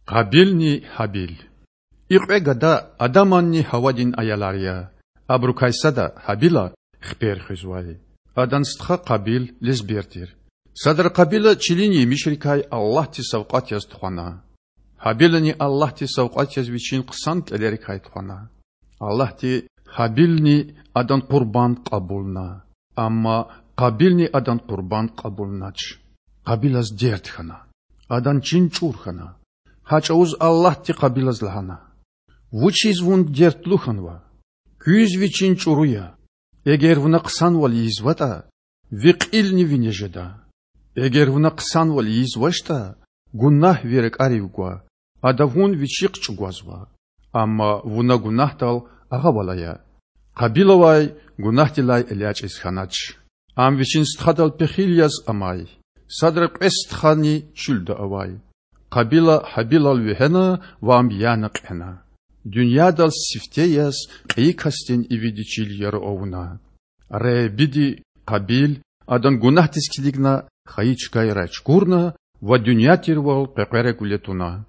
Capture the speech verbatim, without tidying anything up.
Къабилни Гьабил. И кьве гада Адаманни Гьавадин аялар я. Абурукай сада, Гьабила, хипер хуьзвай. Адан стха Къабил лезбер тир. Садра Къабила чилин емишрикай Аллагьдиз савкьват яз тухвана. Гьабилани Аллагьдиз савкьват яз вичин хъсан кІелерикай тухвана. Аллагьди Гьабилни адан къурбанд кьабулна, амма Къабилни адан къурбанд кьабулнач. Къабилаз дерт хьана, адан чин чІур хьана. Гьа чІавуз Аллагьди Къабилаз лагьана: Вучиз вун дертлу хьанва? Куьз ви чин чІуру я? Эгер вуна хъсанвал ийизватІа, ви кьилни вине жеда. Эгер вуна хъсанвал ийизвачтІа, гунагь ви ракІарив гва, ада вун вичихъ чІугвазва. Амма вуна гунагьдал агъавал ая. Къабилавай гунагьдилай элячІиз хьанач. Ам вичин стхадал пехил яз амай. Садра кьве стхани чуьлда авай. Къабила Гьабилал вегьена ва ам яна кьена. Дуьньядал сифте яз кьейи касдин ивиди чил яру авуна. Худади Къабил адан гунагьдиз килигна, хайи чкайрай чукурна ва дуьнья тирвал къекъверагвиле туна.